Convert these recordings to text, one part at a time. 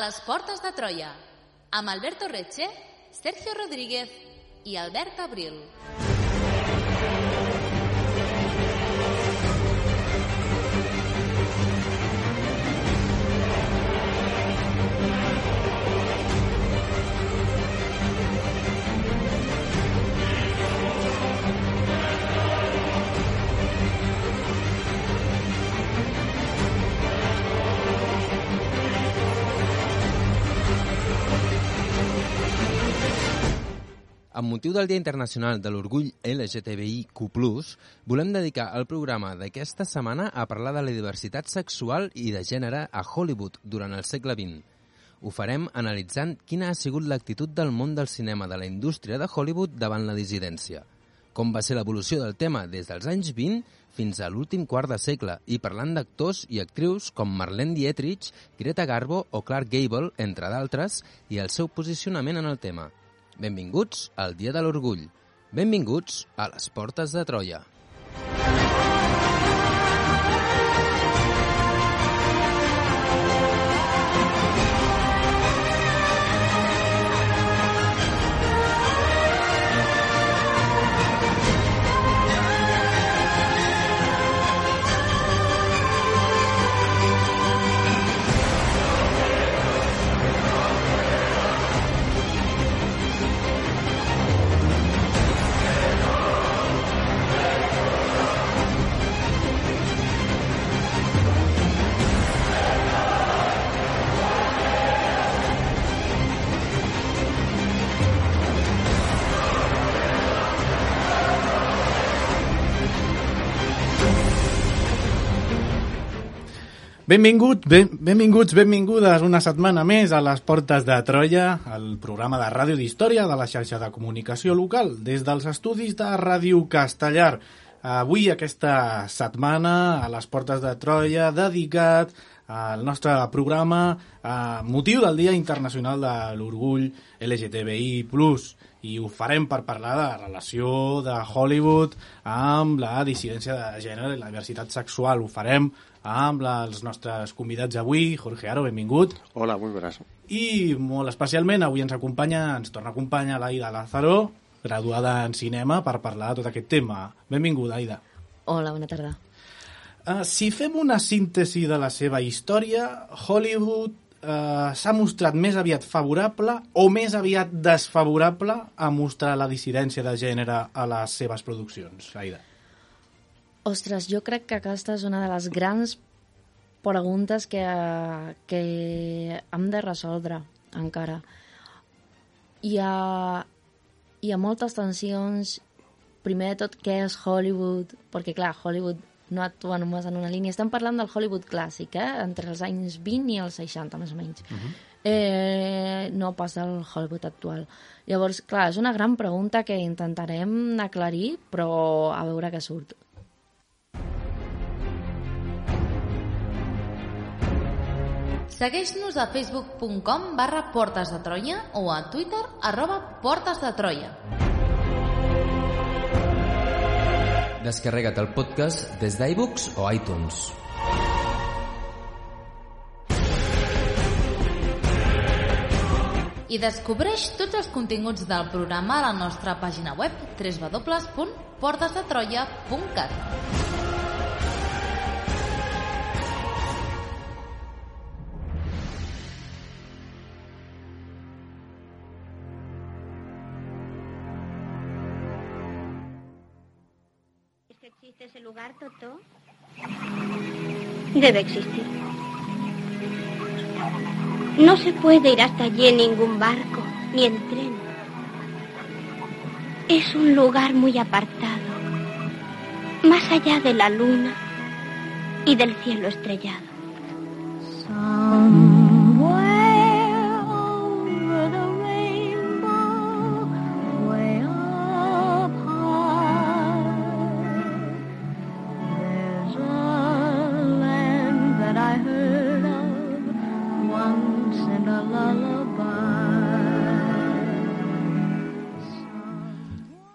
les portes de Troia, amb Alberto Reche, Sergio Rodríguez i Albert Abril. Amb motiu del Dia Internacional de l'Orgull LGTBIQ+, volem dedicar el programa d'aquesta setmana a parlar de la diversitat sexual i de gènere a Hollywood durant el segle XX. Ho farem analitzant quina ha sigut l'actitud del món del cinema de la indústria de Hollywood davant la dissidència, com va ser l'evolució del tema des dels anys 20 fins a l'últim quart de segle i parlant d'actors i actrius com Marlene Dietrich, Greta Garbo o Clark Gable, entre d'altres, i el seu posicionament en el tema. Benvinguts al Dia de l'Orgull. Benvinguts a les Portes de Troia. Benvingudes una setmana més a les Portes de Troia, el programa de ràdio d'història de la xarxa de comunicació local, des dels estudis de Ràdio Castellar. Avui, aquesta setmana, a les Portes de Troia, dedicat al nostre programa a motiu del Dia Internacional de l'Orgull LGTBI+, i ho farem per parlar de la relació de Hollywood amb la dissidència de gènere i la diversitat sexual. Ho farem amb els nostres convidats avui. Jorge Aro, benvingut. Hola, muy buenas. I molt especialment avui ens torna a acompanyar l'Aida Lázaro, graduada en cinema, per parlar de tot aquest tema. Benvinguda, Aida. Hola, bona tarda. Si fem una síntesi de la seva història, Hollywood s'ha mostrat més aviat favorable o més aviat desfavorable a mostrar la dissidència de gènere a les seves produccions, Aida? Ostres, jo crec que aquesta és una de les grans preguntes que hem de resoldre encara. Hi ha moltes tensions. Primer de tot, què és Hollywood? Perquè, clar, Hollywood no actua només en una línia. Estem parlant del Hollywood clàssic, entre els anys 20 i els 60, més o menys. No pas del Hollywood actual. Llavors, clar, és una gran pregunta que intentarem aclarir, però a veure què surt. Segueix-nos a facebook.com/Portes de Troia o a Twitter @Portes de Troia. Descarrega't el podcast des d'iVoox o iTunes. I descobreix tots els continguts del programa a la nostra pàgina web www.portesdetroia.cat. ¿Existe ese lugar, Totó? Debe existir. No se puede ir hasta allí en ningún barco, ni en tren. Es un lugar muy apartado, más allá de la luna y del cielo estrellado.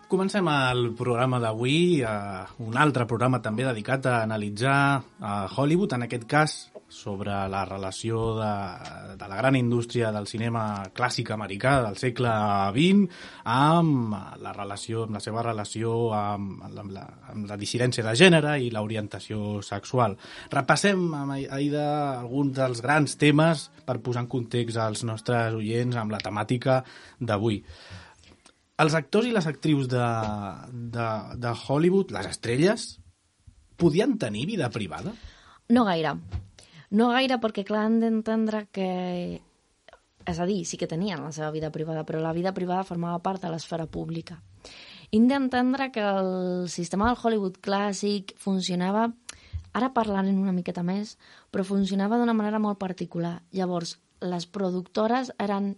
Comencem el programa d'avui, un altre programa també dedicat a analitzar a Hollywood, en aquest cas sobre la relació de la gran indústria del cinema clàssic americà del segle XX amb la seva relació amb la dissidència de gènere i l'orientació sexual. Repassem, Aida, alguns dels grans temes per posar en context als nostres oients amb la temàtica d'avui. Els actors i les actrius de Hollywood, les estrelles, podien tenir vida privada? No gaire. No gaire perquè, clar, hem d'entendre que... És a dir, sí que tenien la seva vida privada, però la vida privada formava part de l'esfera pública. Hem d'entendre que el sistema del Hollywood clàssic funcionava... Ara parlarem una miqueta més, però funcionava d'una manera molt particular. Llavors, les productores eren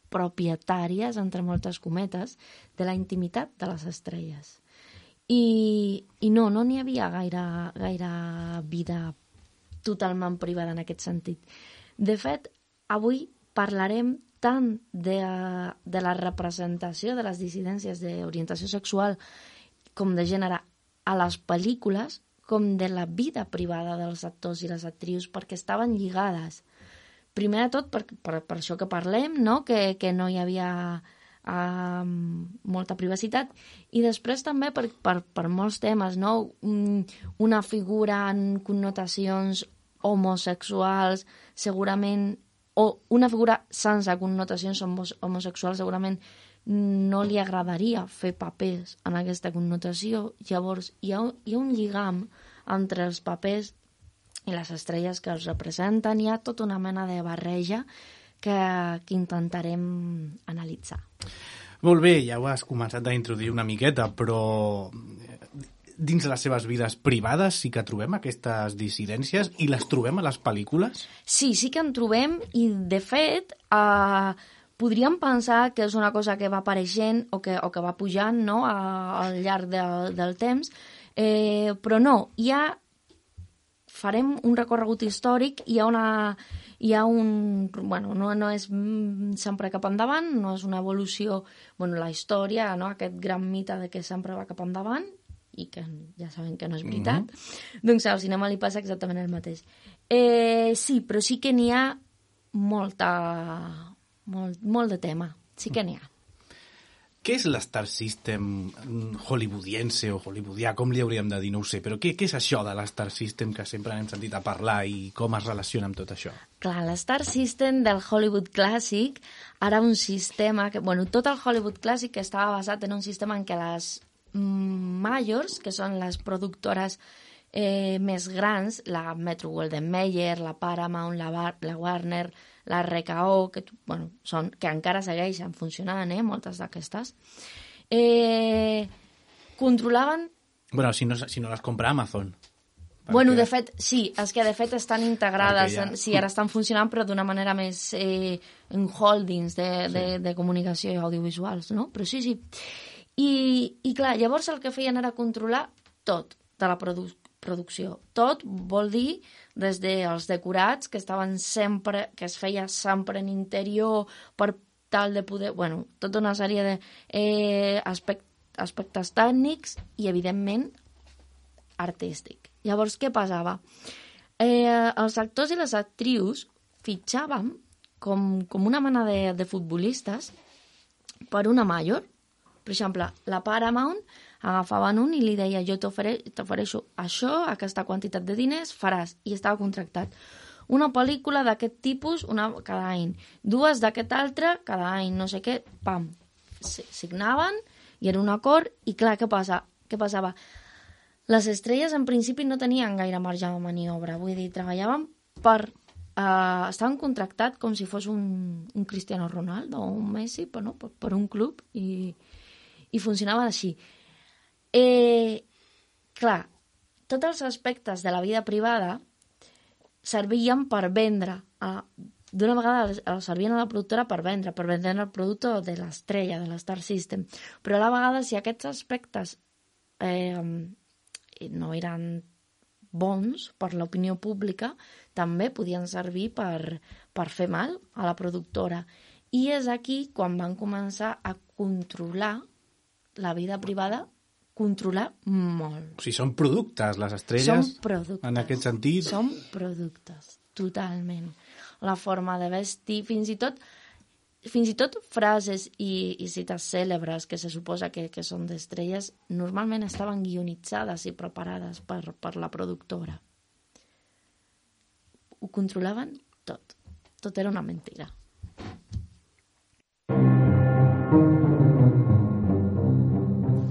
propietàries, entre moltes cometes, de la intimitat de les estrelles. I no n'hi havia gaire vida totalment privada en aquest sentit. De fet, avui parlarem tant de la representació de les dissidències d'orientació sexual com de gènere a les pel·lícules, com de la vida privada dels actors i les actrius, perquè estaven lligades. Primer de tot, per això que parlem, no? Que no hi havia molta privacitat, i després també per molts temes, no? Una figura en connotacions homosexuals, segurament, o una figura sense connotacions homosexuals, segurament no li agradaria fer papers en aquesta connotació. Llavors, hi ha un lligam entre els papers i les estrelles que els representen. Hi ha tota una mena de barreja que intentarem analitzar. Molt bé, ja ho has començat a introduir una miqueta, però dins les seves vides privades sí que trobem aquestes dissidències i les trobem a les pel·lícules? Sí que en trobem, i de fet podríem pensar que és una cosa que va apareixent o que va pujant, no? Al llarg del temps, però no, farem un recorregut històric, hi ha bueno, no és sempre cap endavant, no és una evolució, bueno, la història, no? Aquest gran mite de que sempre va cap endavant, i que ja sabem que no és veritat, doncs al cinema li passa exactament el mateix. Sí, però sí que n'hi ha molt de tema, sí que n'hi ha. Què és l'Star System hollywoodiense o hollywoodià, com li hauríem de dir, no ho sé, però què és això de l'Star System que sempre n'hem sentit a parlar i com es relaciona amb tot això? Clar, l'Star System del Hollywood clàssic era un sistema que, bueno, tot el Hollywood clàssic estava basat en un sistema en què les majors, que són les productores més grans, la Metro-Goldwyn-Mayer, la Paramount, la Warner, la RKO, que encara segueixen funcionant, moltes d'aquestes, controlaven... Bueno, si no les compra Amazon. Perquè... Bueno, de fet, sí, és que de fet estan integrades, sí, ara estan funcionant, però d'una manera més en holdings de comunicació i audiovisuals, no? Però sí. I clar, llavors el que feien era controlar tot de la producció. Tot vol dir des dels decorats, que es feia sempre en interior per tal de poder... Bueno, tota una sèrie d'aspectes tècnics i, evidentment, artístic. Llavors, què passava? Els actors i les actrius fitxaven com una mena de futbolistes per una major. Per exemple, la Paramount agafaven un i li deia: jo t'ofereixo això, aquesta quantitat de diners, faràs. I estava contractat. Una pel·lícula d'aquest tipus cada any. Dues d'aquest altre cada any, no sé què, pam. Signaven i era un acord. I clar, què passava? Les estrelles en principi no tenien gaire marge de maniobra. Vull dir, treballaven estaven contractats com si fos un Cristiano Ronaldo o un Messi, però no, per un club, i funcionaven així. Clar, tots els aspectes de la vida privada servien per vendre. D'una vegada servien a la productora per vendre el producte de l'estrella, de l'Star System. Però a la vegada, si aquests aspectes no eren bons per l'opinió pública, també podien servir per fer mal a la productora. I és aquí quan van començar a controlar la vida privada controlar molt. O sigui, són productes, les estrelles, Són productes. en aquest sentit. Són productes, totalment. La forma de vestir, fins i tot frases i cites cèlebres que se suposa que són d'estrelles, normalment estaven guionitzades i preparades per la productora. Ho controlaven tot. Tot era una mentira.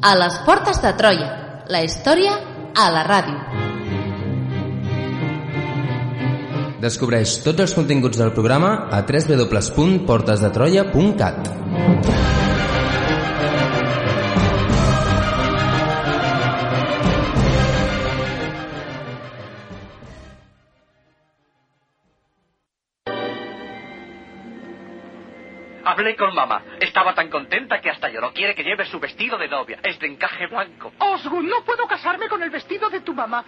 A les portes de Troia, la història a la ràdio. Descobreix tots els continguts del programa a www.portesdetroia.cat. Hablé con mamá. Estaba tan contenta que hasta lloró. Quiere que lleve su vestido de novia. Es de encaje blanco. Osgood, no puedo casarme con el vestido de tu mamá.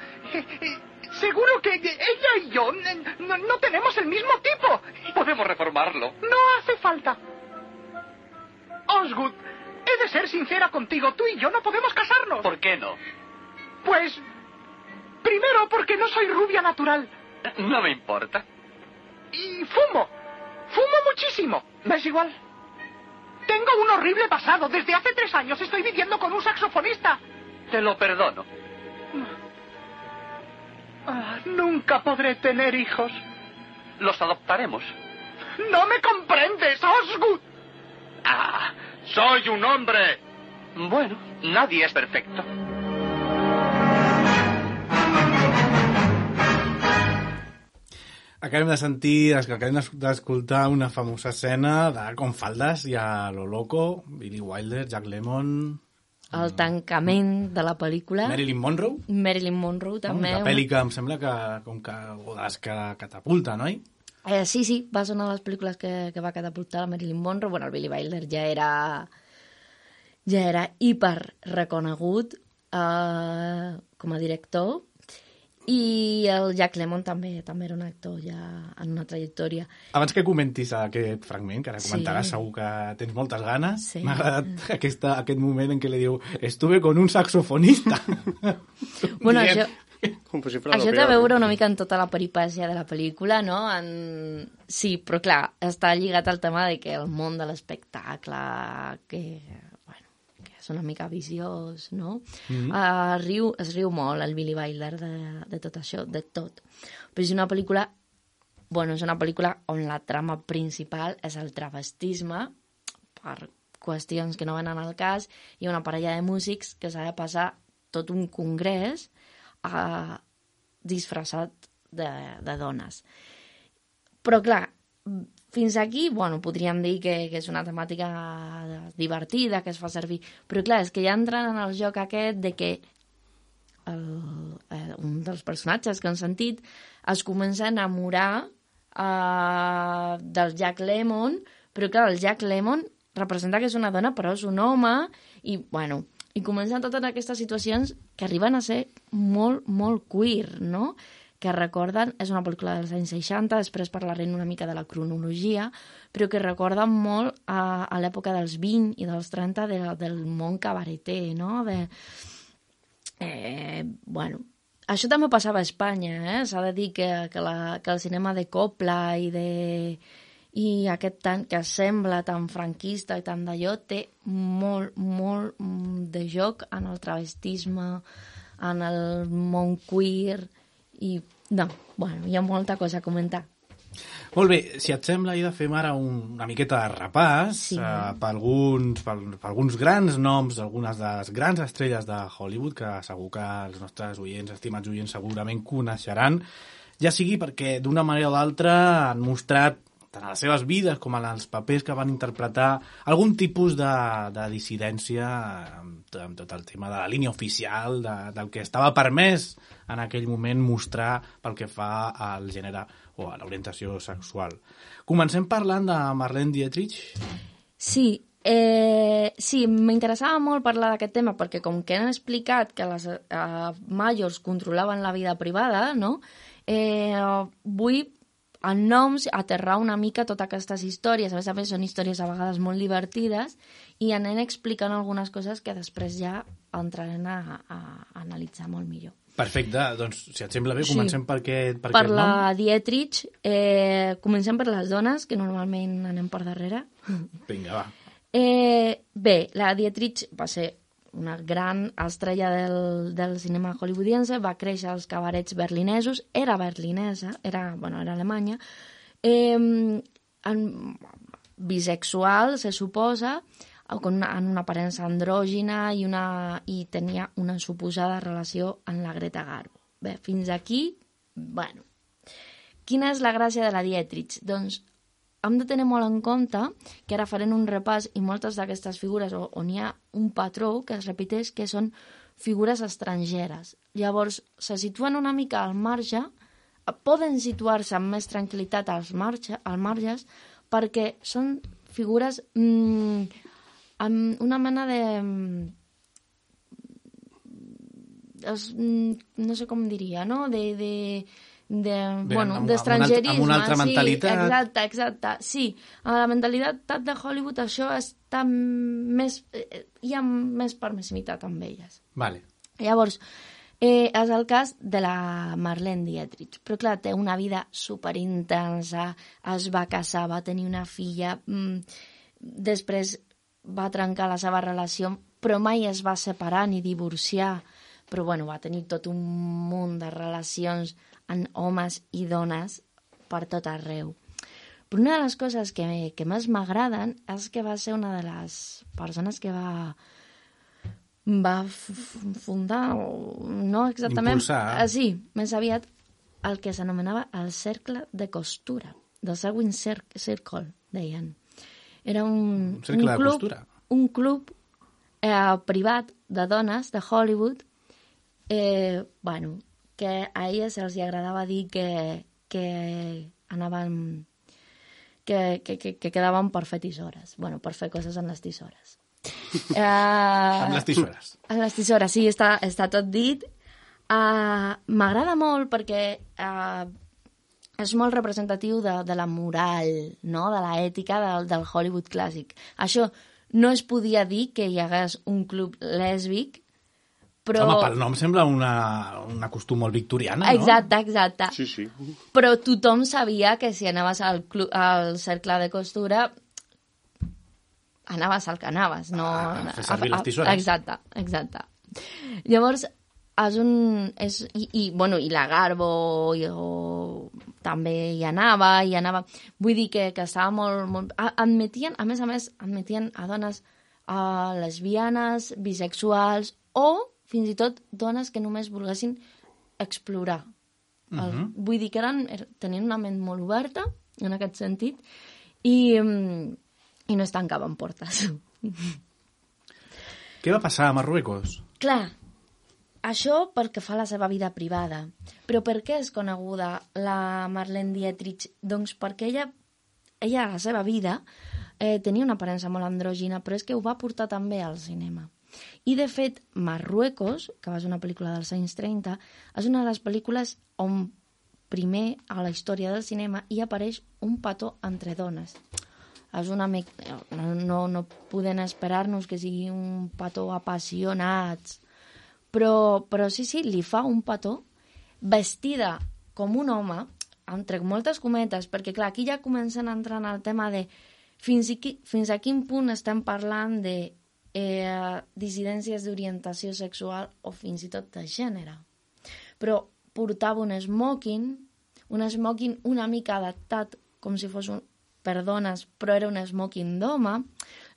Seguro que ella y yo no tenemos el mismo tipo. Podemos reformarlo. No hace falta. Osgood, he de ser sincera contigo. Tú y yo no podemos casarnos. ¿Por qué no? Pues, primero porque no soy rubia natural. No me importa. Y fumo. Fumo muchísimo. ¿Me es igual? Tengo un horrible pasado. Desde hace 3 años estoy viviendo con un saxofonista. Te lo perdono. Nunca podré tener hijos. Los adoptaremos. ¡No me comprendes, Osgood! ¡Ah! ¡Soy un hombre! Bueno, nadie es perfecto. Acabem d'escoltar una famosa escena de com faldes i a lo loco, Billy Wilder, Jack Lemmon... El tancament de la pel·lícula. Marilyn Monroe. Marilyn Monroe, també. Una pel·li que em sembla que com que les que catapulta, no? Sí, va ser una de les pel·lícules que va catapultar la Marilyn Monroe. Bueno, el Billy Wilder ja era hiper reconegut com a director, i el Jack Lemmon també era un actor ja en una trajectòria. Abans que comentis aquest fragment, que ara comentaràs, segur que tens moltes ganes, m'ha agradat aquest moment en què li diu estuve con un saxofonista. Bueno, això té a veure una mica en tota la peripècia de la pel·lícula, no? Sí, però clar, està lligat al tema de que el món de l'espectacle, que és una mica viciós, no? Es riu molt el Billy Wilder de tot això, de tot. Però és una pel·lícula on la trama principal és el travestisme, per qüestions que no venen al cas, i una parella de músics que s'ha de passar tot un congrés disfressat de dones. Però clar, fins aquí, podríem dir que és una temàtica divertida, que es fa servir. Però clar, és que ja entren en el joc aquest de que un dels personatges que han sentit es comença a enamorar del Jack Lemmon, però clar, el Jack Lemmon representa que és una dona, però és un home, i comencen totes aquestes situacions que arriben a ser molt, molt queer, no?, que recorden, és una pel·lícula dels anys 60, després parlaré una mica de la cronologia, però que recorden molt a l'època dels 20 i dels 30 del món cabareter, no? Això també passava a Espanya, s'ha de dir que el cinema de Coppola i aquest tant que sembla tan franquista i tan d'allò té molt, molt de joc en el travestisme, en el món queer, i hi ha molta cosa a comentar. Molt bé, si et sembla, Ida, fem ara una miqueta de repàs per alguns grans noms, algunes de les grans estrelles de Hollywood, que segur que els nostres estimats oients, segurament coneixeran, ja sigui perquè d'una manera o d'altra han mostrat tant a les seves vides com en els papers que van interpretar algun tipus de dissidència amb tot el tema de la línia oficial, del que estava permès en aquell moment mostrar pel que fa al gènere o a l'orientació sexual. Comencem parlant de Marlene Dietrich. Sí, m'interessava molt parlar d'aquest tema perquè com que han explicat que les majors controlaven la vida privada, no? Vull en noms, aterrar una mica totes aquestes històries. A més, són històries a vegades molt divertides i anem explicant algunes coses que després ja entrarem a analitzar molt millor. Perfecte, doncs si et sembla bé, comencem per Per la Dietrich, comencem per les dones, que normalment anem per darrere. Vinga, va. Bé, la Dietrich va ser una gran estrella del cinema hollywoodiense, va créixer als cabarets berlinesos, era berlinesa, era alemanya, bisexual, se suposa, en una aparença andrògina i tenia una suposada relació amb la Greta Garbo. Bé, fins aquí, bueno. Quina és la gràcia de la Dietrich? Doncs hem de tenir molt en compte que ara farem un repàs i moltes d'aquestes figures on hi ha un patró que es repeteix que són figures estrangeres. Llavors, se situen una mica al marge, poden situar-se amb més tranquil·litat als marges perquè són figures amb una mena de... no sé com diria, no? D'estrangerisme. Amb una altra mentalitat. Sí, exacte. Sí, amb la mentalitat de Hollywood això està més... hi ha més permissivitat amb elles. Vale. Llavors, és el cas de la Marlene Dietrich. Però clar, té una vida superintensa, es va casar, va tenir una filla, després va trencar la seva relació, però mai es va separar ni divorciar. Però bueno, va tenir tot un munt de relacions amb homes i dones per tot arreu. Però una de les coses que més m'agraden és que va ser una de les persones que va fundar, no exactament... Impulsar. Sí, més aviat el que s'anomenava el cercle de costura, the Sewing Circle, deien. Era un cercle de costura. Un club privat de dones de Hollywood que a elles se'ls agradava dir que anaven... que quedaven per fer tisores. Bueno, per fer coses amb les tisores. Amb les tisores. Amb les tisores, sí, està tot dit. M'agrada molt perquè és molt representatiu de la moral, no? De l'ètica del Hollywood clàssic. Això no es podia dir que hi hagués un club lèsbic, però... Home, pel nom sembla una costum molt victoriana, no? Exacte. Sí. Però tothom sabia que si anaves al cercle de costura anaves al que anaves, no... fer servir les tisores. Exacte. Llavors, i la Garbo també hi anava. Vull dir que estava molt... Admetien a més, a dones lesbianes, bisexuals o fins i tot dones que només volguessin explorar. Vull dir que tenien una ment molt oberta, en aquest sentit, i no es tancaven portes. Què va passar a Marruecos? Clar, això pel que fa a la seva vida privada. Però per què és coneguda la Marlene Dietrich? Doncs perquè ella a la seva vida tenia una aparença molt andrògina, però és que ho va portar també al cinema. I, de fet, Marruecos, que va ser una pel·lícula dels anys 30, és una de les pel·lícules on primer a la història del cinema hi apareix un petó entre dones. És una no podem esperar-nos que sigui un petó apassionats, però sí, li fa un petó vestida com un home, entre moltes cometes, perquè clar, aquí ja comencen a entrar en el tema de fins a quin punt estem parlant de dissidències d'orientació sexual o fins i tot de gènere. Però portava un smoking una mica adaptat com si fos per dones, però era un smoking d'home.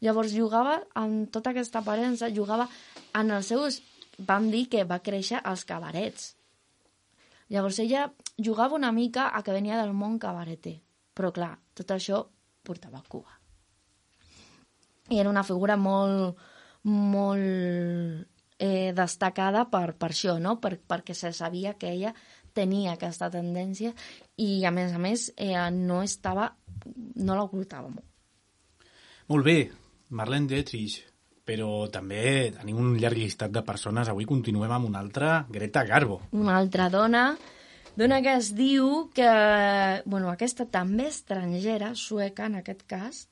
Llavors jugava amb tota aquesta aparença, jugava en els seus... Vam dir que va créixer als cabarets. Llavors ella jugava una mica a que venia del món cabareter. Però clar, tot això portava a Cuba. I era una figura molt destacada per això, no? Perquè se sabia que ella tenia aquesta tendència i, a més, no l'ocultava molt. Molt bé, Marlene Dietrich, però també tenim un llarg llistat de persones. Avui continuem amb una altra, Greta Garbo. Una altra dona Dona que es diu que... Bueno, aquesta també estrangera, sueca en aquest cas,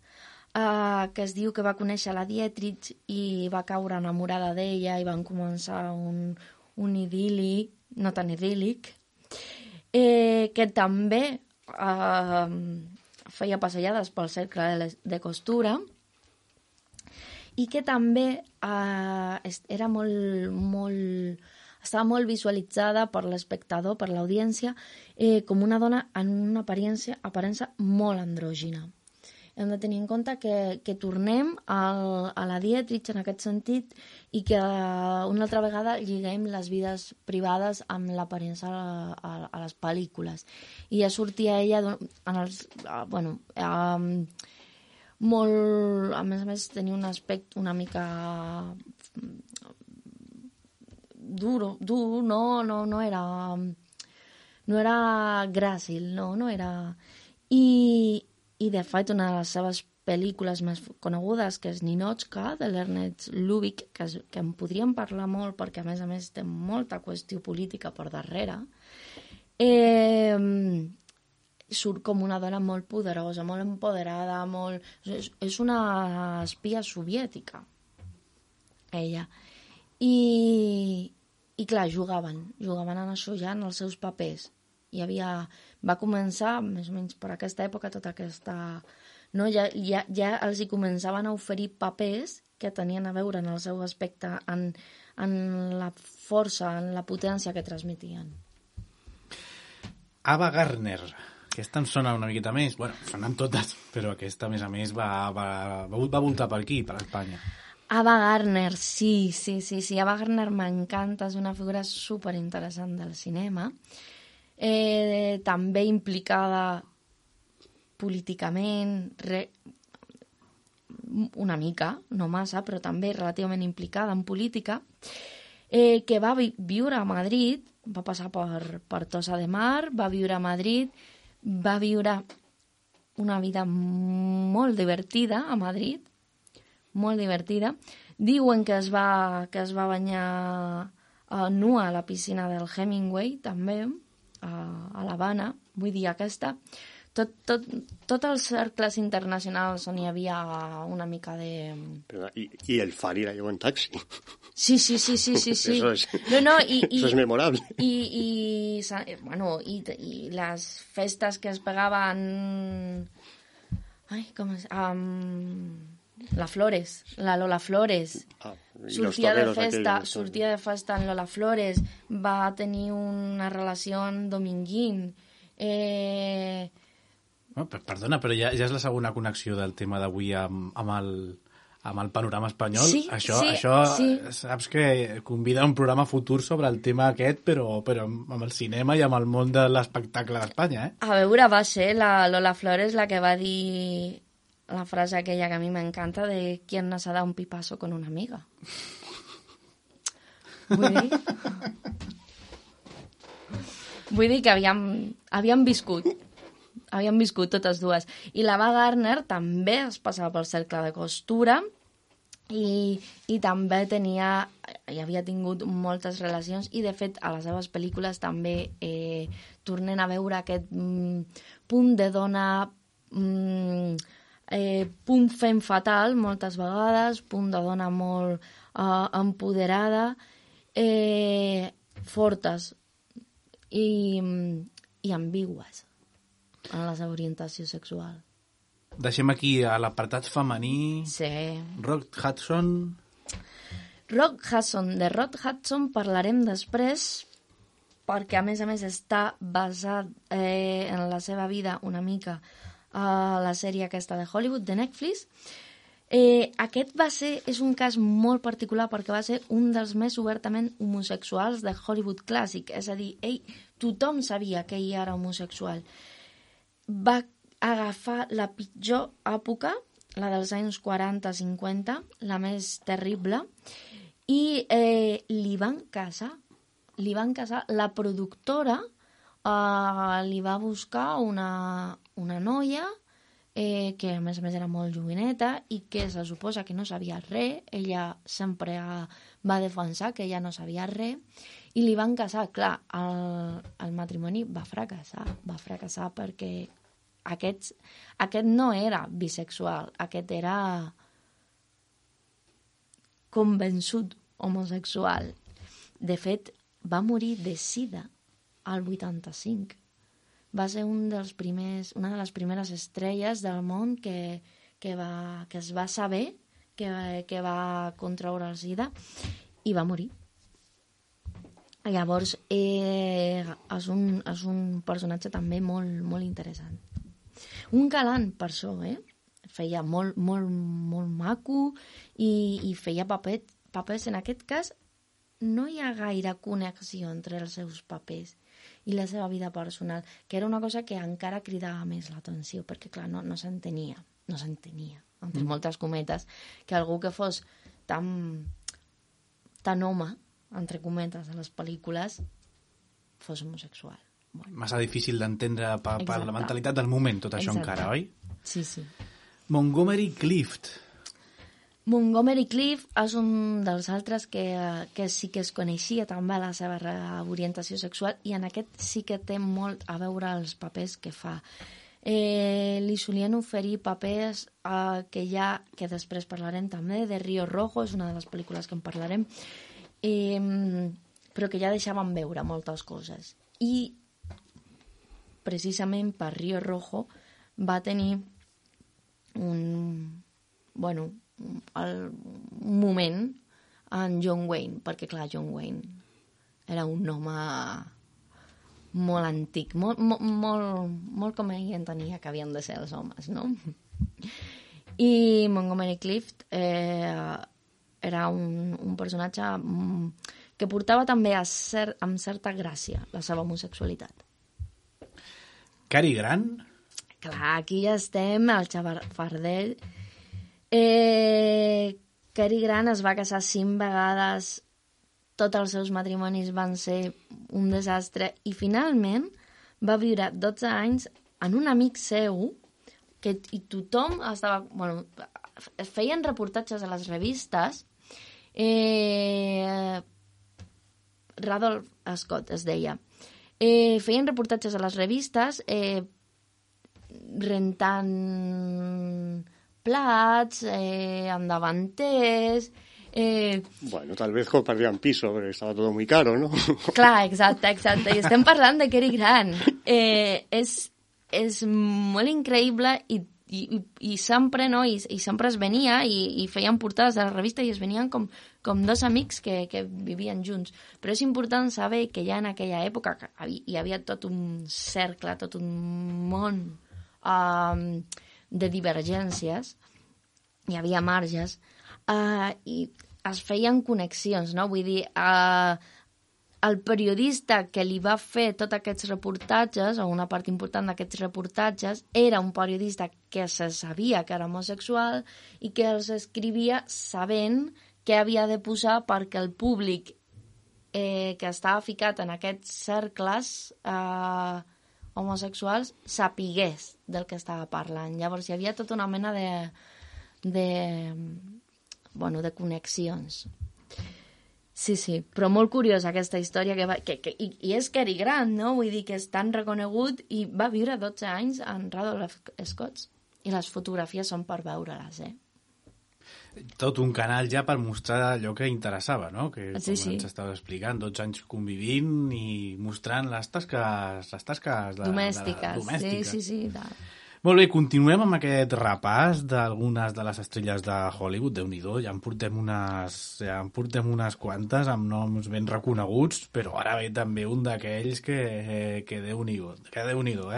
que es diu que va conèixer la Dietrich i va caure enamorada d'ella i van començar un idíl·lic, no tan idíl·lic, que també feia passejades pel cercle de costura i que també era estava molt visualitzada per l'espectador, per l'audiència, com una dona en una aparença molt andrògina. Hem de tenir en compte que tornem a la Dietrich en aquest sentit i que una altra vegada lliguem les vides privades amb l'aparença a les pel·lícules. I ja sortia ella molt... A més, tenia un aspecte una mica dur, no era gràcil, no era... I de fet, una de les seves pel·lícules més conegudes, que és Ninotchka, de l'Ernest Lubitsch, que en podríem parlar molt perquè, a més, té molta qüestió política per darrere, surt com una dona molt poderosa, molt empoderada, és una espia soviètica, ella. I clar, jugaven en això ja, en els seus papers. Va començar, més o menys per aquesta època, tota aquesta... No? Ja els hi començaven a oferir papers que tenien a veure en el seu aspecte, en la força, en la potència que transmetien. Ava Gardner, aquesta em sona una miqueta més. Bueno, sonen totes, però aquesta, a més, va voltar per aquí, per Espanya. Ava Gardner, sí. Ava Gardner m'encanta, és una figura superinteressant del cinema. També implicada políticament, una mica, no massa, però també relativament implicada en política, que va viure a Madrid, va passar per Tossa de Mar, va viure a Madrid, va viure una vida molt divertida a Madrid, molt divertida. Diuen que es va banyar nua a la piscina del Hemingway, també, a l'Havana, vull dir, tots els cercles internacionals on hi havia una mica de... I el Fari la llevó en taxi. Sí. Eso es, eso es memorable. I les festes que es pegaven... Ai, com és? La Lola Flores. Sortia de festa en Lola Flores, va tenir una relació amb Dominguín. Perdona, però ja és la segona connexió del tema d'avui amb el panorama espanyol. Sí, això saps que convida un programa futur sobre el tema aquest, però amb el cinema i amb el món de l'espectacle d'Espanya, A veure, va ser la Lola Flores la que va dir la frase aquella que a mi m'encanta de ¿quién nos ha dado un pipazo con una amiga? Vull dir que havíem viscut totes dues. I l'Ava Gardner també es passava pel cercle de costura i també hi havia tingut moltes relacions i, de fet, a les seves pel·lícules també tornen a veure aquest punt de dona... punt fem fatal moltes vegades, punt de dona molt empoderada, fortes i ambigües en la seva orientació sexual. Deixem aquí a l'apartat femení. Sí. Rock Hudson. De Rock Hudson parlarem després perquè, a més, està basat en la seva vida una mica a la sèrie aquesta de Hollywood, de Netflix. Aquest és un cas molt particular perquè va ser un dels més obertament homosexuals de Hollywood clàssic, és a dir, tothom sabia que ell era homosexual. Va agafar la pitjor època, la dels anys 40-50, la més terrible, i li van casar. La productora li va buscar una noia que a més era molt joveneta i que se suposa que no sabia res. Ella sempre va defensar que ella no sabia res i li van casar. Clar, el matrimoni va fracassar perquè aquest no era bisexual, aquest era convençut homosexual. De fet, va morir de sida al 85. Va ser una de les primeres estrelles del món que es va saber que va contraure el sida i va morir. Llavors, és un personatge també molt, molt interessant. Un galant per això, feia molt, molt, molt maco i feia papers. En aquest cas, no hi ha gaire connexió entre els seus papers i la seva vida personal, que era una cosa que encara cridava més l'atenció, perquè, clar, no s'entenia, entre moltes cometes, que algú que fos tan home, entre cometes, a les pel·lícules, fos homosexual. Bueno. Massa difícil d'entendre per la mentalitat del moment, tot això. Exacte. Encara, oi? Sí, sí. Montgomery Clift és un dels altres que sí que es coneixia també la seva orientació sexual, i en aquest sí que té molt a veure els papers que fa. Li solien oferir papers que després parlarem també, de Río Rojo, és una de les pel·lícules que en parlarem, però que ja deixaven veure moltes coses. I precisament per Río Rojo va tenir un moment en John Wayne, perquè clar, John Wayne era un home molt antic, molt com ell entenia que havien de ser els homes, no? I Montgomery Clift era un personatge que portava també amb certa gràcia la seva homosexualitat. Cary Grant? Clar, aquí ja estem, al xafardell. Cary Grant es va casar 5 vegades, tots els seus matrimonis van ser un desastre, i finalment va viure 12 anys en un amic seu, i tothom estava... Bueno, feien reportatges a les revistes, Radolf Scott es deia, feien reportatges a les revistes rentant plats, amb davanters... Bueno, tal vez compartían piso, pero estaba todo muy caro, ¿no? Clar, exacte. I estem parlant de Cary Grant. És molt increïble i sempre, no? I sempre es venia i feien portades de la revista i es venien com dos amics que vivien junts. Però és important saber que ja en aquella època hi havia tot un cercle, tot un món de divergències, hi havia marges, i es feien connexions, no? Vull dir, el periodista que li va fer tots aquests reportatges, o una part important d'aquests reportatges, era un periodista que se sabia que era homosexual i que els escrivia sabent què havia de posar perquè el públic que estava ficat en aquests cercles homosexuals sapigués del que estava parlant. Llavors hi havia tota una mena de connexions. Sí, però molt curiosa aquesta història i és Cary Grant, no? Vull dir que és tan reconegut i va viure 12 anys en Radolf Scott i les fotografies són per veure-les, Tot un canal ja per mostrar allò que interessava, no? Que sí. Ens estava explicant, 12 anys convivint i mostrant les tasques domèstiques. Sí. Molt bé, continuem amb aquest repàs d'algunes de les estrelles de Hollywood. Déu-n'hi-do, ja en portem unes quantes amb noms ben reconeguts, però ara ve també un d'aquells que Déu-n'hi-do,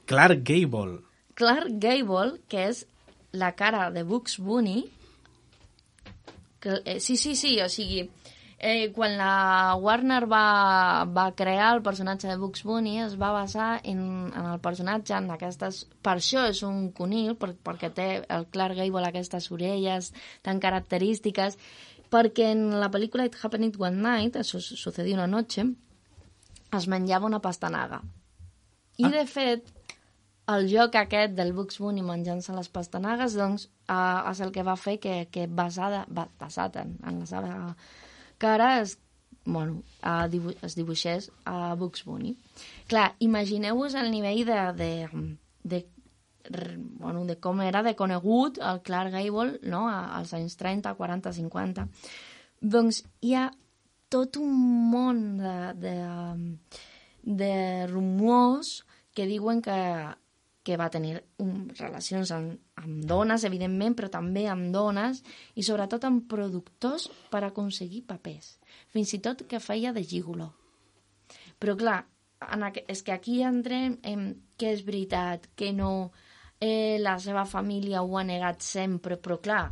Clark Gable. Clark Gable, que és la cara de Bugs Bunny, sí, o sigui, quan la Warner va crear el personatge de Bugs Bunny es va basar en el personatge, en aquestes... Per això és un conil, perquè té el Clark Gable aquestes orelles tan característiques, perquè en la pel·lícula It Happened One Night, això sucedió una noche, es menjava una pastanaga. I, de fet, el joc aquest del Bugs Bunny menjant-se les pastanagues, doncs, és el que va fer que basat en la seva cara es es dibuixés a Bugs Bunny. Clar, imagineu-vos el nivell de com era de conegut el Clark Gable, no?, als anys 30, 40, 50. Doncs hi ha tot un món de rumors que diuen que va tenir relacions amb dones, evidentment, però també amb dones i sobretot amb productors per aconseguir papers. Fins i tot que feia de gigoló. Però clar, és que aquí entrem en què és veritat, què no, la seva família ho ha negat sempre, però clar,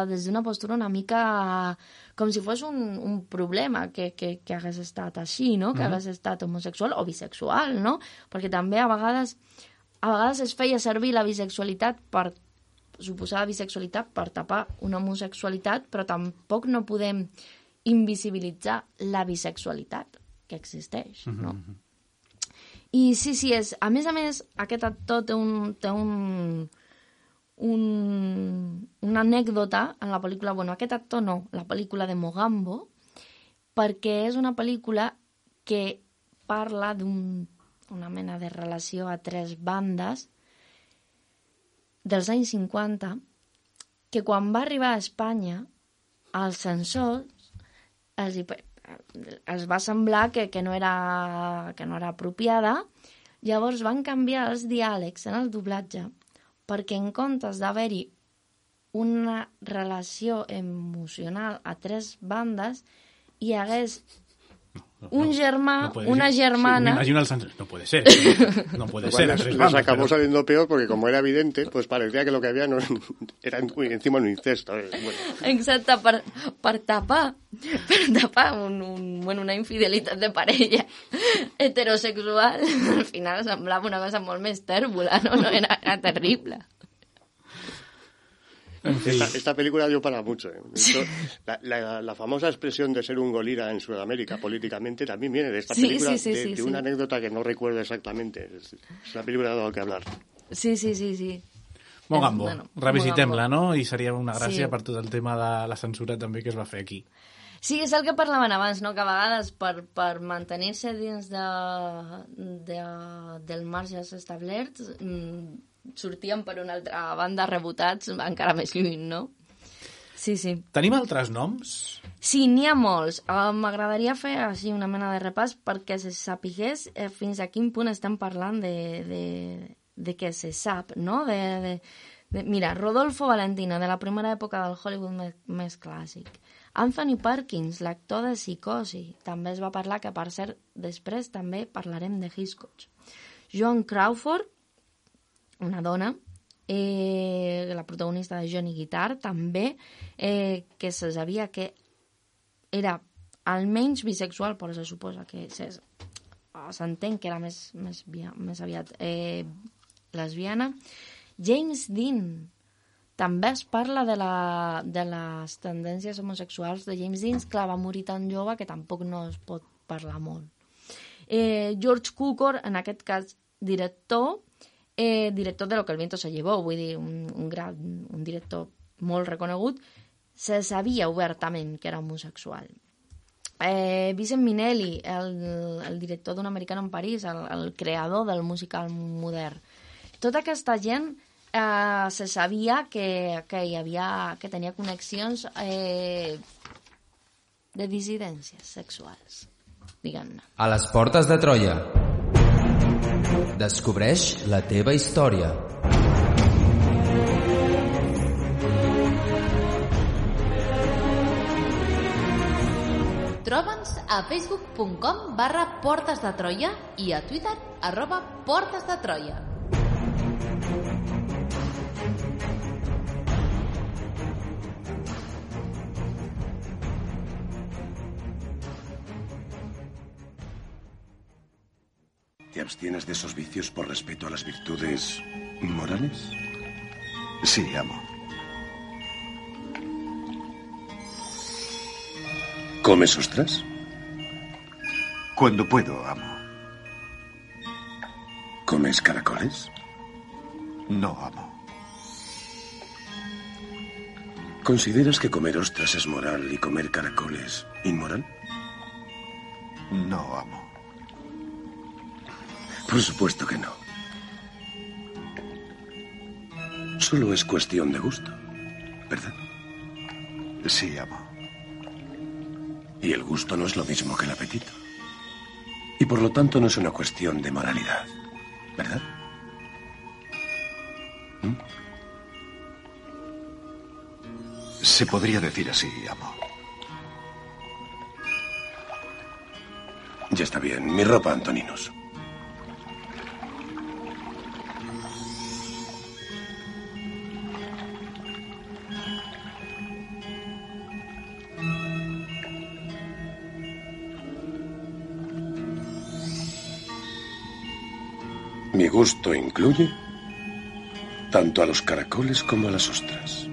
des d'una postura una mica com si fos un problema que hagués estat així, no? Que hagués estat homosexual o bisexual, no? Perquè també a vegades es feia servir la bisexualitat per suposada bisexualitat per tapar una homosexualitat, però tampoc no podem invisibilitzar la bisexualitat que existeix, no? I sí, a més, aquest actor té una anècdota en la pel·lícula, aquest actor no, la pel·lícula de Mogambo, perquè és una pel·lícula que parla d'una mena de relació a 3 bandes dels anys 50, que quan va arribar a Espanya, als censors els va semblar que no era apropiada, llavors van canviar els diàlegs en el doblatge perquè en comptes d'haver-hi una relació emocional a 3 bandes, hi hagués un germà, una germana... Sí, me imagino al Sánchez. No puede ser. No puede ser. Les acabó saliendo peor porque como era evidente, pues parecía que lo que había no era encima un incesto. Bueno. Exacte, per tapar una infidelitat de parella heterosexual, al final semblava una cosa molt més tèrbola, no era terrible. Esta película dio para mucho. Hecho, la famosa expresión de ser un golira en Sudamérica políticamente también viene de esta película, de una anécdota que no recuerdo exactamente. Es una película de lo que hablar. Sí. Mogambo, revisitem-la, no? I seria una gràcia per tot el tema de la censura també que es va fer aquí. Sí, és el que parlaven abans, no? Que a vegades per mantenir-se dins dels marges establerts sortien per una altra banda rebotats encara més lluny, no? Sí. Tenim altres noms? Sí, n'hi ha molts. M'agradaria fer així una mena de repàs perquè se sapigués fins a quin punt estem parlant de què se sap, no? Mira, Rodolfo Valentino, de la primera època del Hollywood més clàssic. Anthony Perkins, l'actor de Psicosi. També es va parlar, que per cert, després també parlarem de Hitchcock. Joan Crawford, una dona, la protagonista de Johnny Guitar, també, que se sabia que era almenys bisexual, però se suposa que s'entén que era més aviat lesbiana. James Dean, també es parla de les tendències homosexuals de James Dean, clar, va morir tan jove que tampoc no es pot parlar molt. George Cukor, en aquest cas director de Lo que el viento se llevó, vull dir, un director molt reconegut, se sabia obertament que era homosexual. Vincent Minnelli, el director d'un Americano en París, el creador del musical modern. Tota aquesta gent se sabia que tenia connexions de dissidències sexuals, diguem-ne. A les portes de Troia. Descobreix la teva història. Troba'ns a facebook.com/Portes de Troia i a Twitter @Portes de Troia. ¿Te abstienes de esos vicios por respeto a las virtudes morales? Sí, amo. ¿Comes ostras? Cuando puedo, amo. ¿Comes caracoles? No, amo. ¿Consideras que comer ostras es moral y comer caracoles inmoral? No, amo. Por supuesto que no. Solo es cuestión de gusto, ¿verdad? Sí, amo. Y el gusto no es lo mismo que el apetito. Y por lo tanto no es una cuestión de moralidad, ¿verdad? Se podría decir así, amo. Ya está bien. Mi ropa, Antoninos. Mi gusto incluye tanto a los caracoles como a las ostras.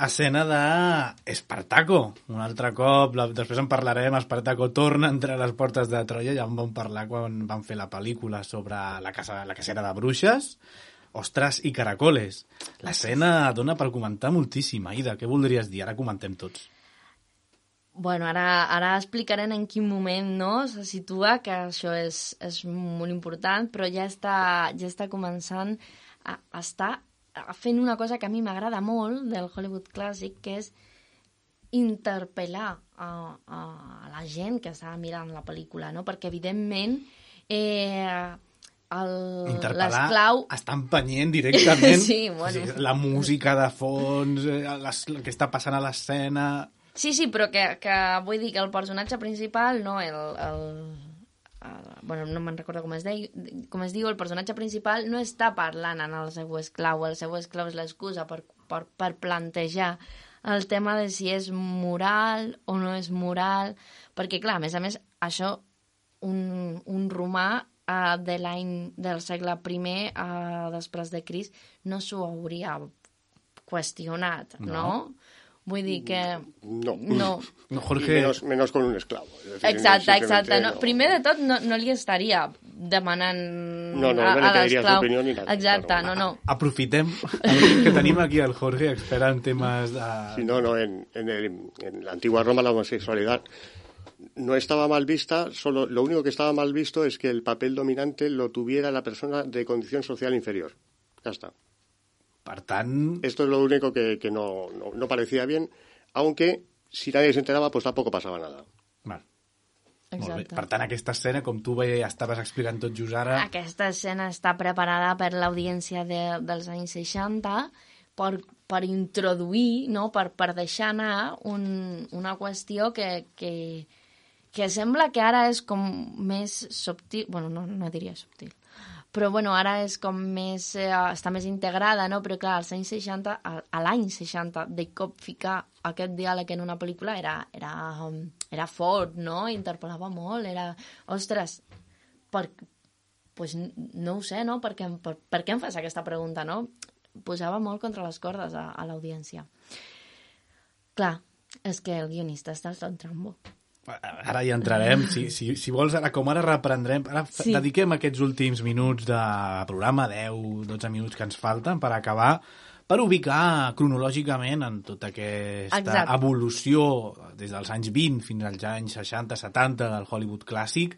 Escena d'Espartaco. Un altre cop, després en parlarem, Espartaco torna entre les portes de Troia, ja en vam parlar quan vam fer la pel·lícula sobre la cacera de bruixes, ostres i caracoles. L'escena dona per comentar moltíssim. Aida, què voldries dir? Ara comentem tots. Bueno, ara explicarem en quin moment se situa, que això és molt important, però ja està començant a estar fent una cosa que a mi m'agrada molt del Hollywood clàssic, que és interpel·lar a la gent que està mirant la pel·lícula, no? Perquè, evidentment, l'esclau està empenyent directament. Sí, bueno. La música de fons, el que està passant a l'escena... Sí, però que vull dir que el personatge principal, no, bueno, no me'n recordo com es diu, el personatge principal no està parlant en el seu esclau és l'excusa per plantejar el tema de si és moral o no és moral, perquè clar, a més, això un romà del segle I després de Crist no s'ho hauria qüestionat, no? Vull dir que... No. Jorge... Menos con un esclavo. Exacte. No. Primer de tot, no li estaria demanant a l'esclau... Exacte, no. Aprofitem que tenim aquí el Jorge, expert en temes de... Sí, no, en la antigua Roma la homosexualidad no estaba mal vista, solo lo único que estaba mal visto es que el papel dominante lo tuviera la persona de condición social inferior. Ya está. Esto es lo único que no parecía bien, aunque si nadie se enteraba, pues tampoco pasaba nada. Val. Molt bé. Per tant, aquesta escena, com tu estaves explicant tot just ara... Aquesta escena està preparada per l'audiència dels anys 60 per introduir, no? per deixar anar una qüestió que sembla que ara és com més subtil... Bueno, no diria subtil. Però, bueno, ara és com més... està més integrada, no? Però, clar, als anys 60, a l'any 60, de cop ficar aquest diàleg en una pel·lícula era fort, no? Interpel·lava molt, era... Ostres, pues no ho sé, no? Per què em fas aquesta pregunta, no? Posava molt contra les cordes a l'audiència. Clar, és que el guionista està al trambo. Ara hi entrarem. Si vols, ara reprendrem. Ara dediquem aquests últims minuts de programa, 10-12 minuts que ens falten per acabar, per ubicar cronològicament en tota aquesta evolució des dels anys 20 fins als anys 60-70 del Hollywood clàssic,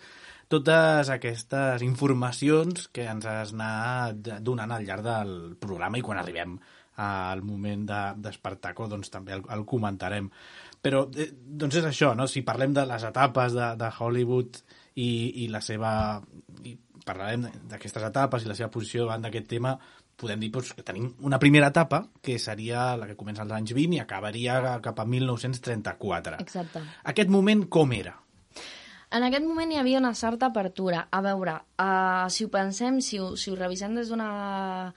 totes aquestes informacions que ens has anat donant al llarg del programa, i quan arribem al moment d'Espartaco doncs també el comentarem. Però doncs és això, no? Si parlem de les etapes de Hollywood i la seva... i parlarem d'aquestes etapes i la seva posició davant d'aquest tema, podem dir que tenim una primera etapa, que seria la que comença als anys 20 i acabaria cap a 1934. Exacte. Aquest moment com era? En aquest moment hi havia una certa apertura. A veure, si ho pensem, si ho revisem des d'una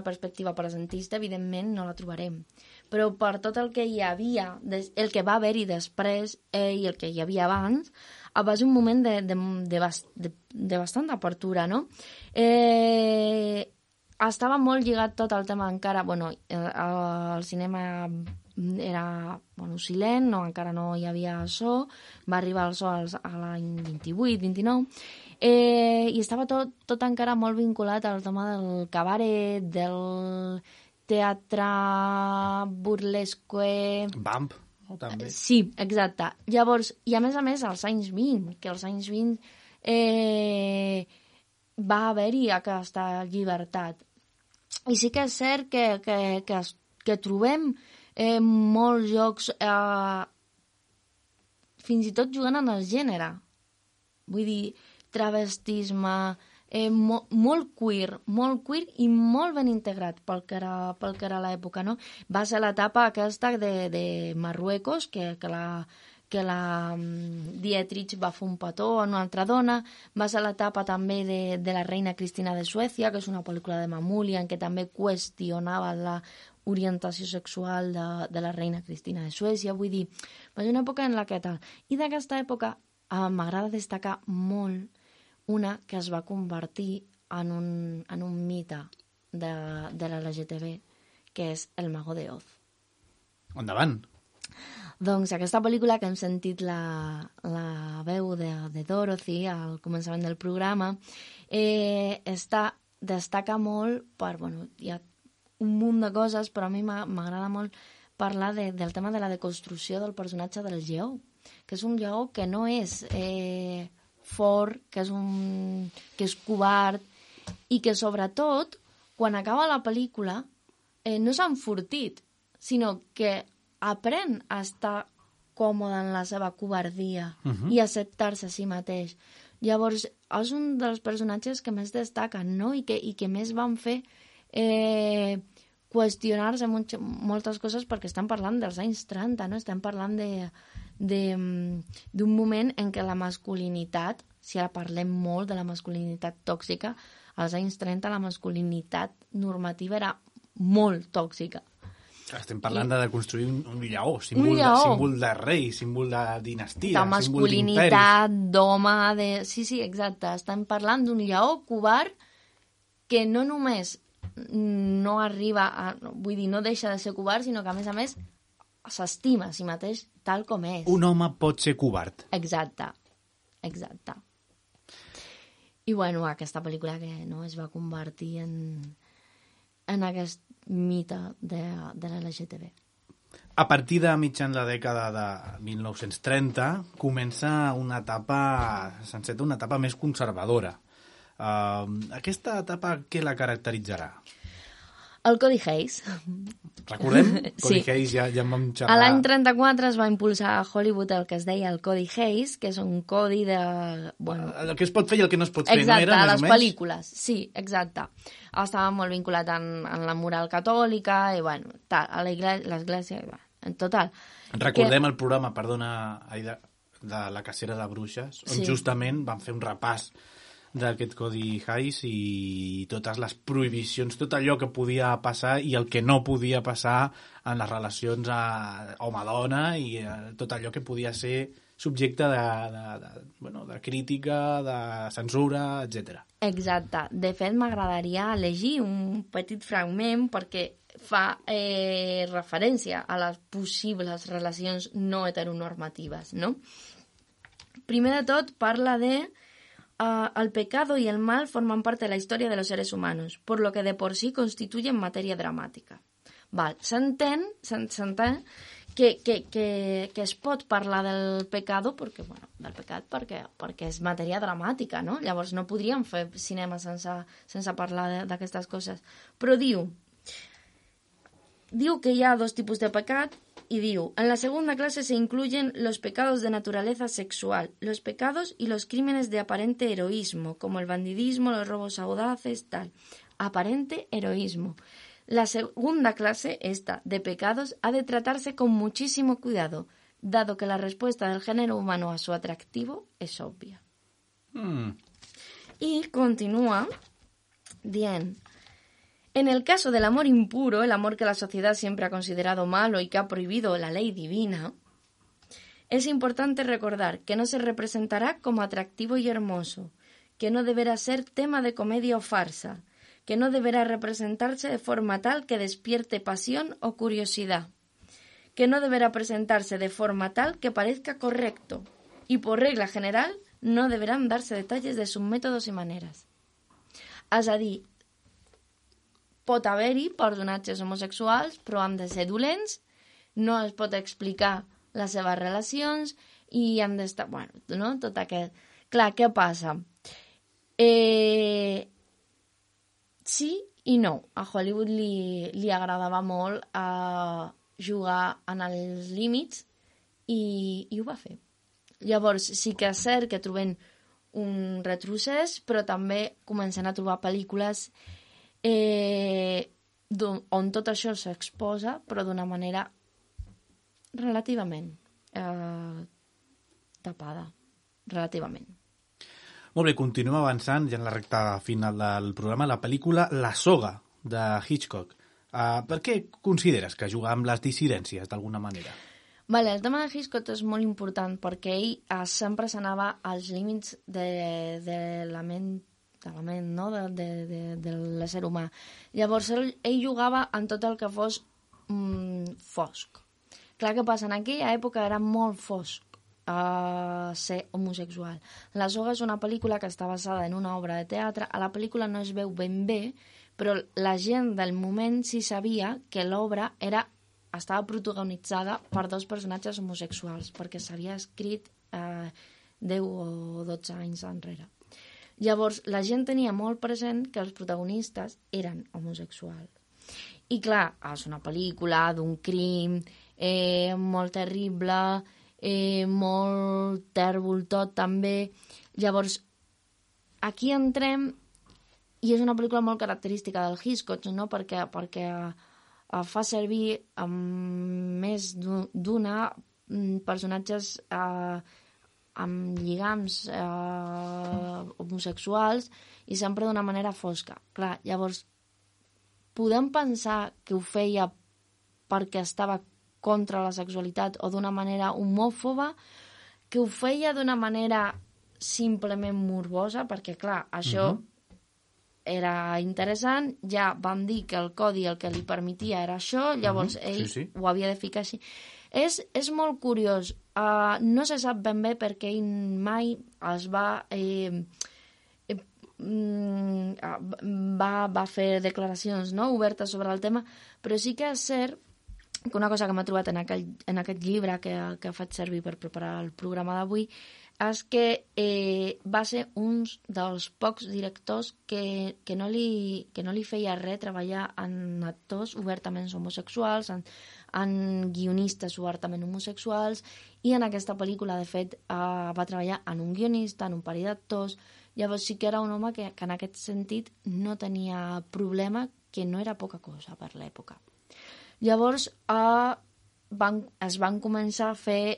perspectiva presentista, evidentment no la trobarem. Però per tot el que hi havia, el que va haver-hi després i el que hi havia abans, va ser un moment de bastanta apertura, no? Estava molt lligat tot el tema encara... Bueno, el cinema era silent, encara no hi havia so, va arribar el so a l'any 28, 29, I estava tot encara molt vinculat al tema del cabaret, del teatre burlesque... Vamp, no? També. Sí, exacte. Llavors, i a més, als anys 20, que als anys 20 va haver-hi aquesta llibertat. I sí que és cert que trobem molts jocs, fins i tot jugant en el gènere. Vull dir, travestisme, molt queer i molt ben integrat pel que era l'època, no? Va ser l'etapa aquesta de Marruecos, que la Dietrich va fer un petó a una altra dona, va ser l'etapa també de la reina Cristina de Suècia, que és una pel·lícula de Mamoulian, en què també qüestionava la orientació sexual de la reina Cristina de Suècia. Vull dir, va ser una època en la que tal. I d'aquesta època m'agrada destacar molt una que es va convertir en un mite de l'LGTB, que és El Mago de Oz. Endavant! Doncs aquesta pel·lícula que hem sentit la veu de Dorothy al començament del programa destaca molt per... Bueno, hi ha un munt de coses, però a mi m'agrada molt parlar del tema de la deconstrucció del personatge del lleó, que és un lleó que no és fort, que és covard, i que sobretot, quan acaba la pel·lícula, no s'ha enfortit, sinó que aprèn a estar còmode en la seva covardia i acceptar-se a si mateix. Llavors, és un dels personatges que més destaquen, no? I que més van fer qüestionar-se moltes coses, perquè estem parlant dels anys 30, no? Estem parlant d'un moment en què la masculinitat, si ara parlem molt de la masculinitat tòxica, als anys 30 la masculinitat normativa era molt tòxica. Estem parlant de construir un lleó, símbol de rei, símbol de dinastia, de masculinitat, d'home, Sí, exacte. Estem parlant d'un lleó covard que no només no arriba a... Vull dir, no deixa de ser covard, sinó que, a més, s'estima a si mateix tal com és. Un home pot ser covard. Exacte. I, bueno, aquesta pel·lícula que no es va convertir en aquest mite de l'LGTB. A partir de mitjan la dècada de 1930 comença una etapa més conservadora. Aquesta etapa què la caracteritzarà? El Codi Hayes. Recordem? Codi Hayes, ja en vam xerrar. A l'any 34 es va impulsar a Hollywood el que es deia el Codi Hayes, que és un codi de... Bueno, el que es pot fer i el que no es pot fer, exacte, no era? A les pel·lícules, sí, exacte. Estava molt vinculat en la moral catòlica i, bueno, a l'església, en total. Recordem el programa, de la cacera de bruixes, on justament van fer un repàs d'aquest Codi Hayes i totes les prohibicions, tot allò que podia passar i el que no podia passar en les relacions home-dona i tot allò que podia ser subjecte de crítica, de censura, etc. Exacte. De fet, m'agradaria llegir un petit fragment perquè fa referència a les possibles relacions no heteronormatives, no? Primer de tot, parla de el pecado y el mal forman parte de la historia de los seres humanos, por lo que de por sí constituyen materia dramática. S'entén que es pot parlar del pecado del pecat perquè és matèria dramàtica, no? Llavors no podríem fer cinema sense parlar d'aquestes coses. Però diu que hi ha dos tipus de pecat y diu, en la segunda clase se incluyen los pecados de naturaleza sexual, los pecados y los crímenes de aparente heroísmo, como el bandidismo, los robos audaces, tal. Aparente heroísmo. La segunda clase, esta, de pecados, ha de tratarse con muchísimo cuidado, dado que la respuesta del género humano a su atractivo es obvia. Y continúa dient... En el caso del amor impuro, el amor que la sociedad siempre ha considerado malo y que ha prohibido la ley divina, es importante recordar que no se representará como atractivo y hermoso, que no deberá ser tema de comedia o farsa, que no deberá representarse de forma tal que despierte pasión o curiosidad, que no deberá presentarse de forma tal que parezca correcto y, por regla general, no deberán darse detalles de sus métodos i maneres. És a dir, pot haver-hi personatges homosexuals, però han de ser dolents, no es pot explicar les seves relacions i han d'estar... Bueno, no? Tot aquest... Clar, què passa? Sí i no. A Hollywood li agradava molt jugar en els límits i ho va fer. Llavors, sí que és cert que trobem un retrocés, però també comencen a trobar pel·lícules on tot això s'exposa, però d'una manera relativament tapada. Relativament. Molt bé, continuem avançant ja en la recta final del programa, la pel·lícula La soga, de Hitchcock. Per què consideres que juga amb les dissidències, d'alguna manera? Vale, el tema de Hitchcock és molt important perquè ell sempre s'anava als límits de la ment, no? de l'ésser humà. Llavors, ell jugava en tot el que fos fosc. Clar, què passa? En aquella època era molt fosc ser homosexual. La soga és una pel·lícula que està basada en una obra de teatre. A la pel·lícula no es veu ben bé, però la gent del moment sí sabia que l'obra estava protagonitzada per dos personatges homosexuals, perquè s'havia escrit 10 o 12 anys enrere. Llavors, la gent tenia molt present que els protagonistes eren homosexuals. I clar, és una pel·lícula d'un crim molt terrible, molt tèrbol tot també. Llavors, aquí entrem, i és una pel·lícula molt característica del Hitchcock, no? perquè fa servir més d'una personatges amb lligams homosexuals i sempre d'una manera fosca. Clar, llavors, podem pensar que ho feia perquè estava contra la sexualitat o d'una manera homòfoba, que ho feia d'una manera simplement morbosa, perquè, clar, això era interessant, ja van dir que el codi el que li permetia era això, llavors ell ho havia de ficar així. És molt curiós, no se sap ben bé perquè ell mai es va fer declaracions obertes sobre el tema, però sí que és cert que una cosa que m'ha trobat en aquest llibre que faig servir per preparar el programa d'avui és que va ser un dels pocs directors que no li feia res treballar en actors obertament homosexuals, en guionistes obertament homosexuals, i en aquesta pel·lícula, de fet, va treballar en un guionista, en un parell d'actors. Llavors sí que era un home que en aquest sentit no tenia problema, que no era poca cosa per l'època. Llavors es van començar a fer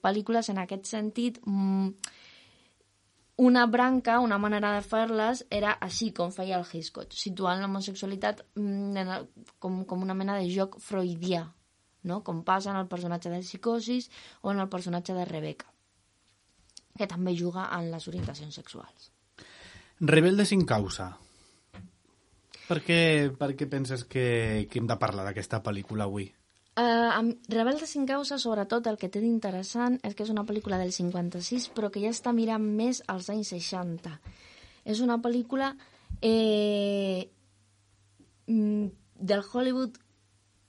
pel·lícules en aquest sentit. Una branca, una manera de fer-les era així com feia el Hitchcock, situant l'homosexualitat com una mena de joc freudià, no? Com passa en el personatge de Psicosis o en el personatge de Rebecca, que també juga en les orientacions sexuals. Rebelde sin causa. Per què penses que hem de parlar d'aquesta pel·lícula avui? Rebelde sin causa, sobretot, el que té d'interessant és que és una pel·lícula del 56, però que ja està mirant més als anys 60. És una pel·lícula del Hollywood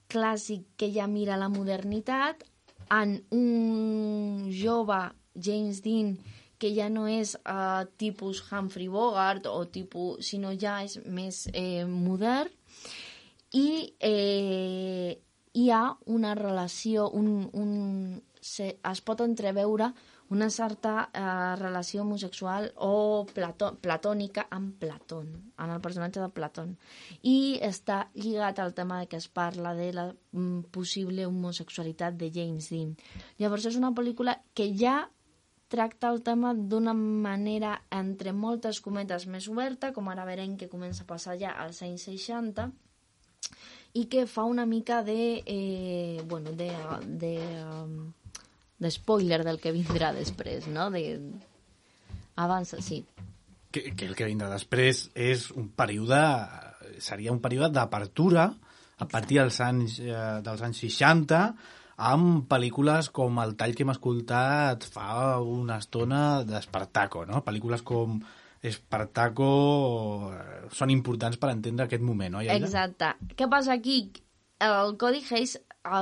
clàssic que ja mira la modernitat, en un jove James Dean que ja no és tipus Humphrey Bogart o tipus, sinó ja és més modern, i hi ha una relació, es pot entreveure una certa relació homosexual o platònica amb Platón, en el personatge de Platón. I està lligat al tema que es parla de la possible homosexualitat de James Dean. Llavors és una pel·lícula que ja tracta el tema d'una manera, entre moltes cometes, més oberta, com ara veurem que comença a passar ja als anys 60, i que fa una mica de spoiler del que vindrà després, no? Avança, sí. Que el que vindrà després és seria un període d'apertura a partir dels anys 60, amb pel·lícules com el tall que hem escoltat fa una estona d'Espartaco, no? Pel·lícules com Espartaco són importants per entendre aquest moment, no? Exacte. Què passa aquí? El Codi Hays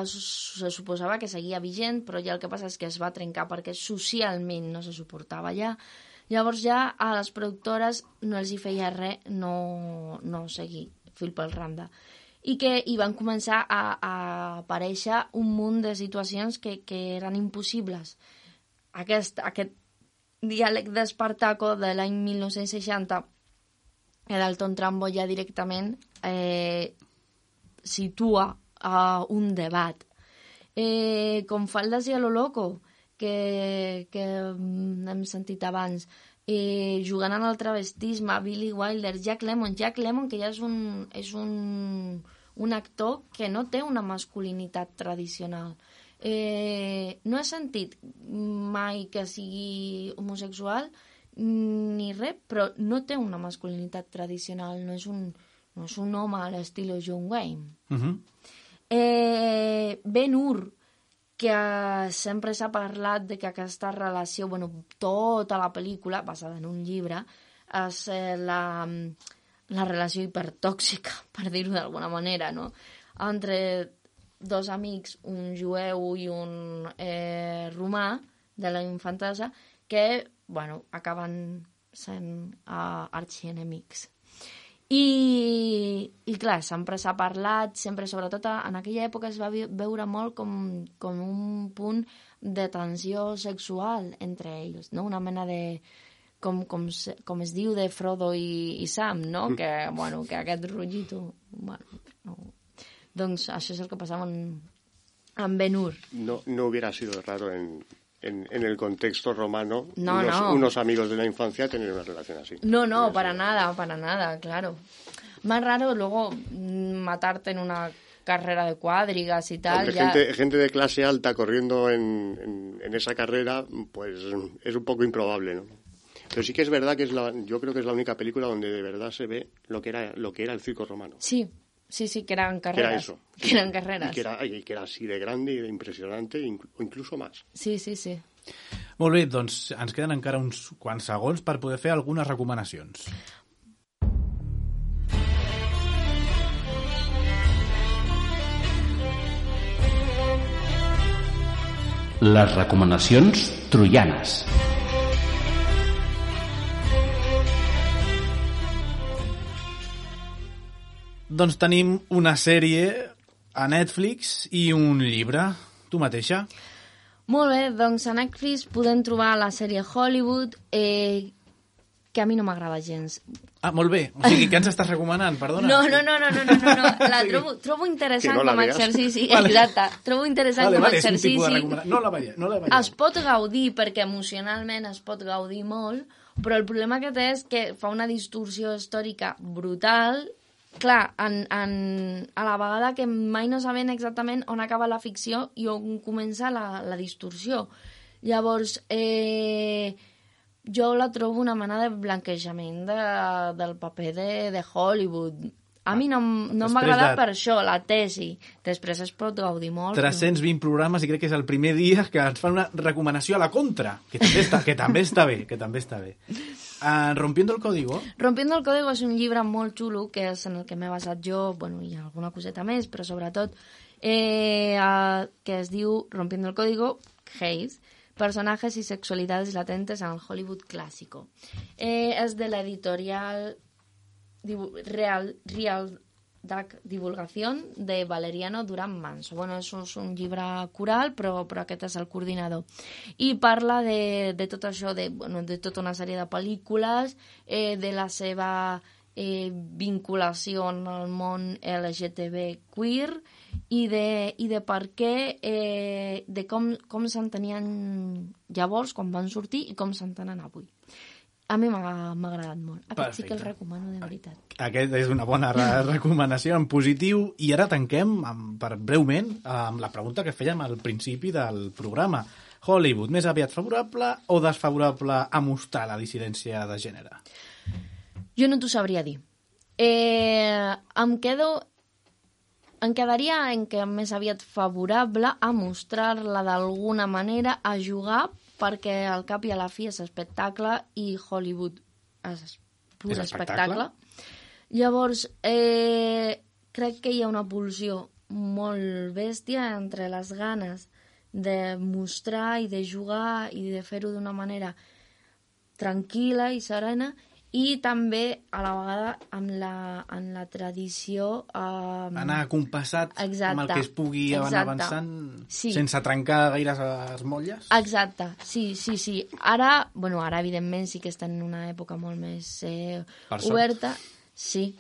se suposava que seguia vigent, però ja el que passa és que es va trencar perquè socialment no se suportava ja. Llavors ja a les productores no els hi feia res no seguir fil pel randa. I van començar a aparèixer un munt de situacions que eren impossibles. Aquest diàleg d'Espartaco de l'any 1960, Dalton Trumbo ja directament situa un debat. Com Faldes i a lo loco, que hem sentit abans, jugant en el travestisme, Billy Wilder, Jack Lemmon, que ja és un actor que no té una masculinitat tradicional. No he sentit mai que sigui homosexual ni res, però no té una masculinitat tradicional, no és un home a l'estil John Wayne. Ben-Hur, que sempre s'ha parlat de que aquesta relació, tota la pel·lícula, basada en un llibre, és la relació hipertòxica, per dir-ho d'alguna manera, no? Entre dos amics, un jueu i un romà de la infantesa, que, acaben sent arxienemics. I clar, sempre s'ha parlat, sempre, sobretot en aquella època es va veure molt com un punt de tensió sexual entre ells, no? Una mena de, com es diu, de Frodo i Sam, no? Que aquest rotllito, no. Doncs això és el que passava en Ben-Hur. No hubiera sido raro en el contexto romano, no. Unos amigos de la infancia tener una relación así. No, para nada, claro. Más raro luego matarte en una carrera de cuadrigas y tal. Gente de clase alta corriendo en esa carrera, pues es un poco improbable, ¿no? Pero sí que es verdad que yo creo que es la única película donde de verdad se ve lo que era el circo romano. Sí, que eran carreras. Que era eso. Que eran carreras. Y que era así de grande y de impressionante, o incluso más. Sí. Molt bé, doncs ens queden encara uns quants segons per poder fer algunes recomanacions. Les recomanacions troianes. Doncs tenim una sèrie a Netflix i un llibre. Tu mateixa? Molt bé, doncs a Netflix podem trobar la sèrie Hollywood, que a mi no m'agrada gens. Ah, molt bé. O sigui, què ens estàs recomanant? Perdona. No. La trobo interessant com a exercici. Vale. Exacte. Trobo interessant com a exercici. No la veiem. Es pot gaudir, perquè emocionalment es pot gaudir molt, però el problema que té és que fa una distorsió històrica brutal. Clar, a la vegada que mai no sabem exactament on acaba la ficció i on comença la distorsió. Llavors, jo la trobo una mena de blanquejament del paper de Hollywood. A mi no m'ha agradat per això, la tesi. Després es pot gaudir molt. 320 programes i crec que és el primer dia que ens fan una recomanació a la contra, que també està bé. Rompiendo el Código. Rompiendo el Código és un llibre molt xulo, que és en el que m'he basat jo, i alguna coseta més, però sobretot que es diu Rompiendo el Código, Hays, personajes y sexualidades latentes en el Hollywood clásico. És de l'editorial Real Duck Divulgación de Valeriano Durán Manso. És un llibre coral, però aquest és el coordinador. I parla de tot això, de tota una sèrie de pel·lícules, de la seva vinculació en el món LGTB queer i de per què, de com s'entenien llavors, quan van sortir, i com s'entenen avui. A mi m'ha agradat molt. Aquest sí que el recomano de veritat. Aquest és una bona recomanació en positiu. I ara tanquem, breument, amb la pregunta que fèiem al principi del programa. Hollywood, més aviat favorable o desfavorable a mostrar la dissidència de gènere? Jo no t'ho sabria dir. Em quedo em quedaria en què més aviat favorable a mostrar-la d'alguna manera, a jugar, perquè al cap i a la fi és espectacle i Hollywood és pur espectacle. Llavors, crec que hi ha una pulsió molt bèstia entre les ganes de mostrar i de jugar i de fer-ho d'una manera tranquil·la i serena, i també a la vegada en la tradició anar compassat amb el que es pugui anar avançant sense trencar gaire les motlles. Exacte, sí. Ara evidentment sí que està en una època molt més oberta, sí,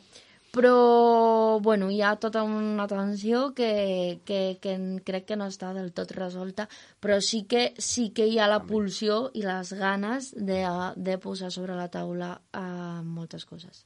però hi ha tota una tensió que crec que no està del tot resolta, però sí que hi ha la pulsió i les ganes de posar sobre la taula moltes coses.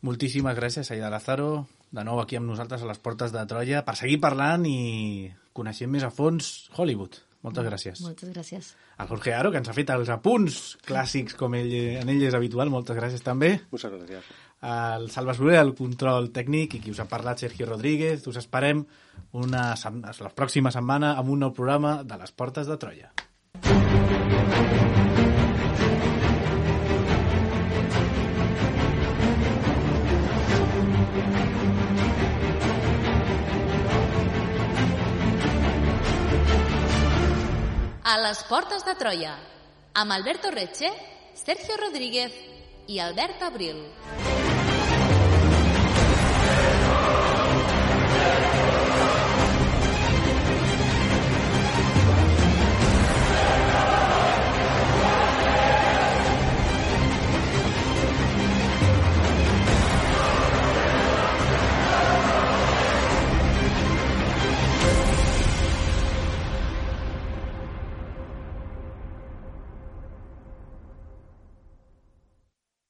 Moltíssimes gràcies, Aida Lázaro, de nou aquí amb nosaltres a les portes de Troia, per seguir parlant i coneixent més a fons Hollywood. Moltes gràcies. Moltes gràcies. El Jorge Aro, que ens ha fet els apunts clàssics com en ell és habitual, moltes gràcies també. Moltes gràcies. El Salva Soler, el control tècnic, i qui us ha parlat, Sergio Rodríguez. Us esperem la pròxima setmana amb un nou programa de les portes de Troia. A les portes de Troia, amb Alberto Reche, Sergio Rodríguez i Albert Abril.